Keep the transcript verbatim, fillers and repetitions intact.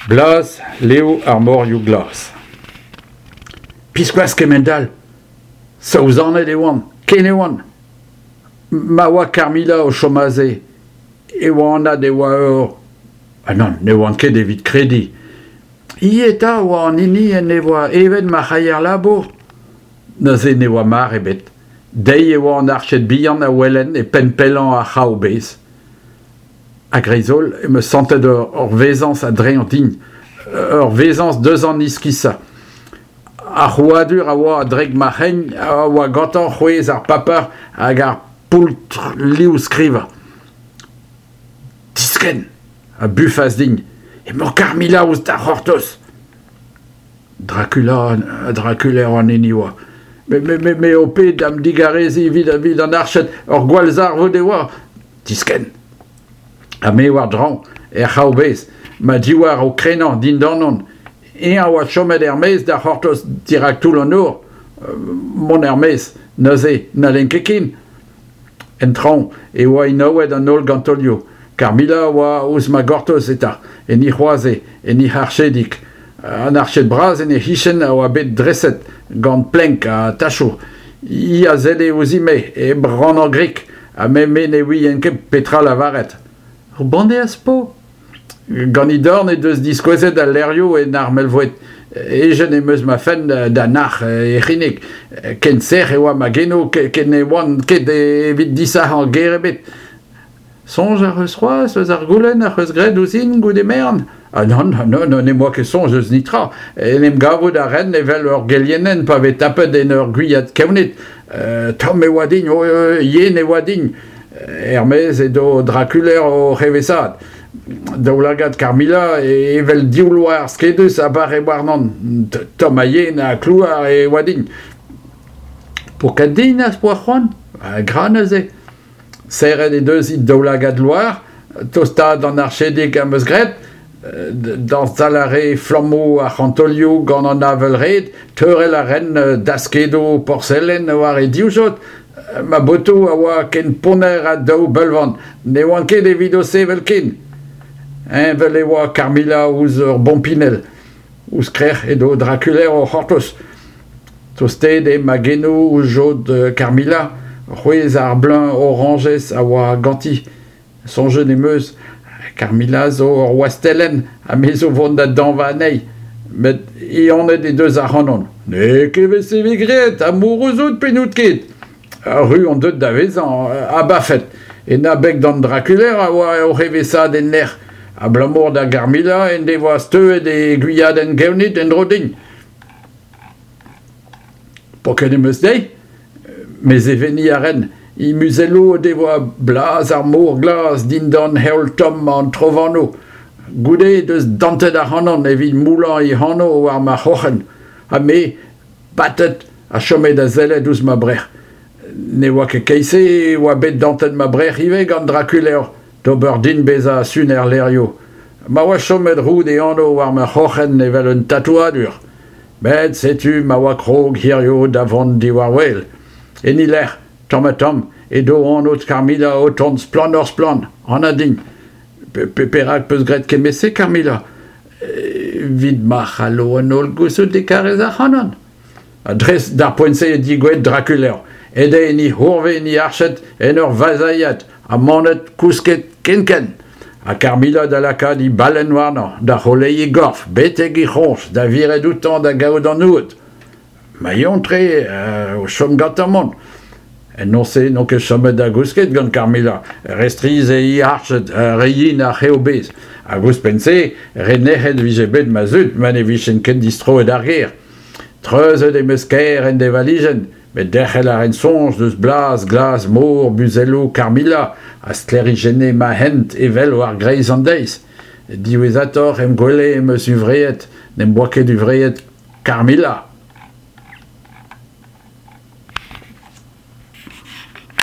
Blaz liv ar morioù glas. Biskoazh kemend-all ! Saouzanet e oan, ken e oan. Ma oa Carmilla o chom aze e oa anat e oa ur... Ah nann, ne oan ket evit krediñ. Hi eta a oa an hini en devoa evet ma c'haier labour ? Neuze ne oa mar ebet. Dezhi e oa an arched bihan a welen e penn pellañ ar c'hraou-bez. A-greiz-holl em eus santet ur vezañs a-dreñv din, ur vezañs deus an iskisañ. Ar c'hrouadur a oa a-drek ma c'hein a oa gantañ c'hwezh ar paper hag ar poultr liv-skrivañ. Diskenn ! A bufas din. Emañ Carmilla ouzh da c'hortoz. Dracula, Dracula an hini oa. Me, me, me, me ho ped da'm digareziñ evit, evit an arched, ur gwallzarvoud e oa. Diskenn ! Ha me war-draoñ, er c'hraou-bez, ma divhar o krenañ dindanon. Eñ a oa chomet er-maez da c'hortoz dirak toull an nor. Mont er-maez, neuze n'hallen ket ken. En traoñ e oa enaouet an holl gantolioù. Carmilla a oa ouzh ma gortoz eta, en he c'hoaze, en he archedig. An arched bras en he c'hichen a oa bet dreset gant plenk ha tachoù. Hi a selle ouzhin-me, hep rannañ grik, ha me, me ne ouien ket petra lavaret. Ur banne az po ? Gant he dorn he deus diskouezet al levrioù en armel-voued. Hejet em eus ma fenn da nac'h he c'hinnig. Ken sec'h e oa ma genoù ken ne oan ket evit disac'hañ ger ebet. Soñj ac'h eus c'hoazh eus ar goulenn ac'h eus graet ouzhin goude merenn ? Ah nann, nann, n'em boa ket soñj eus netra. En em gavout a ran evel ur gelienenn pa vez tapet en ur gwiad kevnid. Tomm e oa din, yen e oa din. Er-maez edo Draculaer oc'h evezhaat. Daoulagad Carmilla evel div loar skedus a bare warnon. Tomm ha yen ha klouar e oa din. Pokat din az poa c'hoant ? Gra neuze. Serret he deus he daoulagad loar, tostaat d'an archedig am eus graet, dañsal a rae flammoù ar c'hantolioù gant an avel-red, teurel a ran daskedoù porselen war he divjod. Ma botoù a oa ken ponner ha daou beulvan, ne oan ket evit o sevel ken. Heñvel e oa Carmilla ouzh ur bompinell. Ouzh krec'h edo Draculaer o c'hortoz. Tostaet eo ma genoù ouzh jod Carmilla, c'hwezh ar bleuñv orañjez a oa ganti. Soñjet em eus, Carmilla zo ur wastellenn ha me zo vont da dañva anezhi. Met ehanet he deus ac'hanon. N'eo ket evel-se 'vez graet, amourouz out pe n'out ket ? Arru on deuet da vezañ abafet. En abeg d'an Draculaer a oa oc'h evezhaat en nec'h. Abalamour da Garmilla en devoa steuet e gwiadenn gevnid en-dro din. Poket em eus dezhi ? Mezeveniñ a ran. He muzelloù o devoa blaz ar mor glas dindan heol tomm an trovanoù. Goude he deus dantet ac'hanon evit moullañ he anv war ma c'hroc'hen. Ha me, batet, a chome da sellet ouzh ma brec'h. Ne oa ket keit-se e oa bet dantet ma brec'h ivez gant Draculaer d'ober din bezañ suner levrioù. Ma oa chomet roud e anv war ma c'hroc'hen evel un tatouadur. Met setu ma oa krog hiziv da vont diwar-wel. En he lec'h, tamm-ha-tamm, edo anv Carmilla o tont splannoc'h-splann, anat din. Perak 'peus graet kement-se, Carmilla ? Evit ma c'hallo an holl gouzout e karez ac'hanon. Ha dres d'ar poent-se eo degouezhet Draculaer. Aet eo en e c'hourvez en e arched en ur vazailhat ha manet kousket kenkent. Ha Carmilla da lakaat he ballenn warnañ, da c'holeiñ e gorf, betek e c'hroñj, da viret outañ da gaout an aod. Ma eontr eo o chom gantañ mont. En noz-se n'on ket chomet da gousket gant Carmilla. Re strizh eo he arched, re yen ar c'heo-bez. Hag ouzhpenn-se, re nec'het 'vije bet ma zud ma ne vijen ket distroet d'ar gêr. Treuzet em eus kêr en deñvalijenn, met derc'hel a ran soñj deus blaz glas mor muzelloù Carmilla a sklêrijenne ma hent evel war greiz an deiz. Diwezhatoc'h em gwele em eus huñvreet, n'em boa ket huñvreet Carmilla.